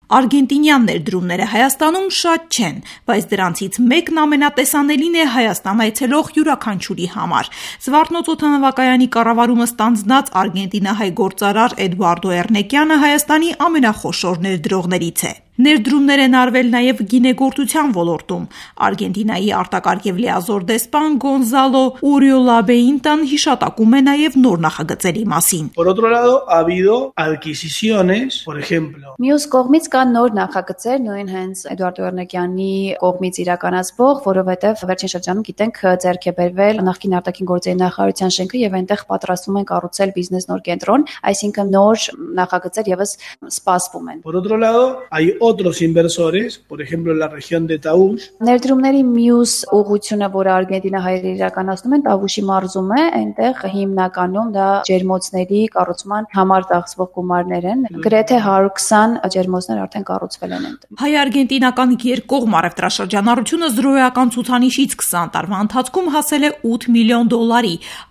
Արգենտինյան ներդրումները Հայաստանում շատ չեն, բայց դրանցից մեկն ամենատեսանելին է Հայաստան այցելող յուրաքանչյուրի համար։ Զվարթնոց օդանավակայանի կառավարումը ստանձնած արգենտինահայ գործարար Էդուարդո Էռնեկյանը Հայաստանի ամենախոշոր ներդրողներից է։ Ներդրումներ են արվել նաև գինեգործության ոլորտում։ Արգենտինայի արտակարգ և լիազոր դեսպան Գոնզալո Ուրիոլաբեինտան հիշատակում է նաև նոր նախագծերի մասին։ Մյուս կողմից կան նոր նախագծեր, նույն հենց Էդուարդո Էռնեկյանի կողմից իրականացվող, որովհետև վերջին շրջանում գիտենք ձեռք է բերվել նախկին արտաքին գործերի նախարարության շենքը եւ այնտեղ պատրաստվում են կառուցել բիզնես նոր կենտրոն, այսինքն նոր նախագծեր եւս սպասվում են։ Otros inversores, por ejemplo, en la región de Taús. Ներդրումների մյուս ուղղությունը, որը արգենտինահայերը իրականացնում են, Տավուշի մարզում է, այնտեղ հիմնականում դա ջերմոցների կառուցման համար ծախսվող գումարներ են։ Գրեթե 120 ջերմոցներ արդեն կառուցվել են այնտեղ։ Հայ-արգենտինական երկկողմ առևտրաշրջանառությունը զրոյական ցուցանիշից 20 տարվա ընթացքում հասել է $8 միլիոն։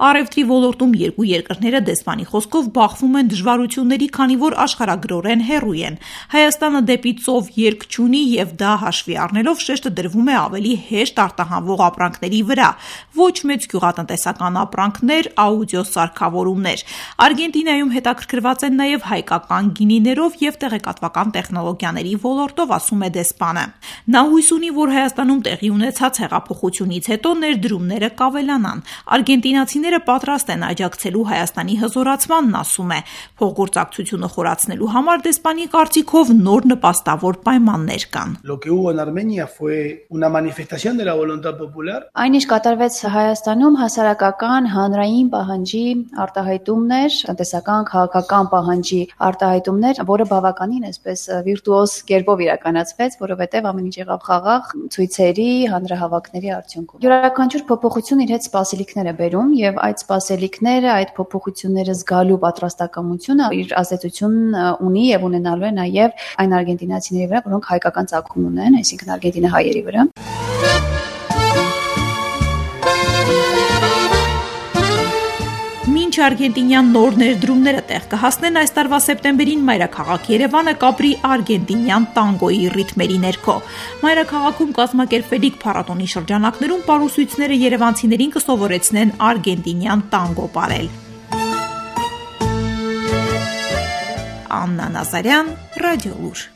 Առևտրի ոլորտում երկու երկրները դեսպանի խոսքով բախվում են դժվարությունների, քանի որ աշխարհագրորեն հեռու են։ Հայաստանը դեպի ծով երկ չունի եւ դա հաշվի առնելով շեշտը դրվում է ավելի հեշտ արտահանվող ապրանքների վրա, ոչ մեծ գյուղատնտեսական ապրանքներ, աուդիո սարքավորումներ։ Արգենտինայում հետաքրքրված են նաեւ հայկական գինիներով եւ տեղեկատվական տեխնոլոգիաների ոլորտով, ասում է դեսպանը։ Նա հույս ունի, որ Հայաստանում տեղի ունեցած հեղափոխությունից հետո ներդրումները կավելանան։ Արգենտինացիները պատրաստ են աջակցելու Հայաստանի հզորացմանն, ասում է։ Փոխգործակցությունը խորացնելու համար դեսպանի կարծիքով նոր նպաստավոր պայմաններ կան։ Այն ինչ կատարվեց Հայաստանում հասարակական հանրային պահանջի արտահայտումներ, տնտեսական, քաղաքական պահանջի արտահայտումներ, որը բավականին այսպես վիրտուոզ կերպով իրականացվեց, որովհետև ամեն ինչ եղավ խաղաղ ցույցերի, հանրահավաքների արդյունքում։ Յուրաքանչյուր փոփոխություն իր հետ սպասելիքներ է բերում եւ այդ սպասելիքները, այդ փոփոխությունները զգալու պատրաստակամությունը իր ազդեցությունն ունի եւ ունենալու է նաեւ այն արգենտինացիների վրա, որոնք հայկական ծագում ունեն, այսինքն արգենտինահայերի վրա։ Մինչ արգենտինյան նոր ներդրումները տեղ կհասնեն, այս տարվա սեպտեմբերին մայրաքաղաք Երևանը կապրի արգենտինյան տանգոյի ռիթմերի ներքո։ Մայրաքաղաքում կազմակերպվելիք փառատոնի շրջանակներում պարուսույցները երևանցիներին կսովորեցնեն արգենտինյան տանգո պարել։ Աննա Նազարյան, Ռադիո Լուր։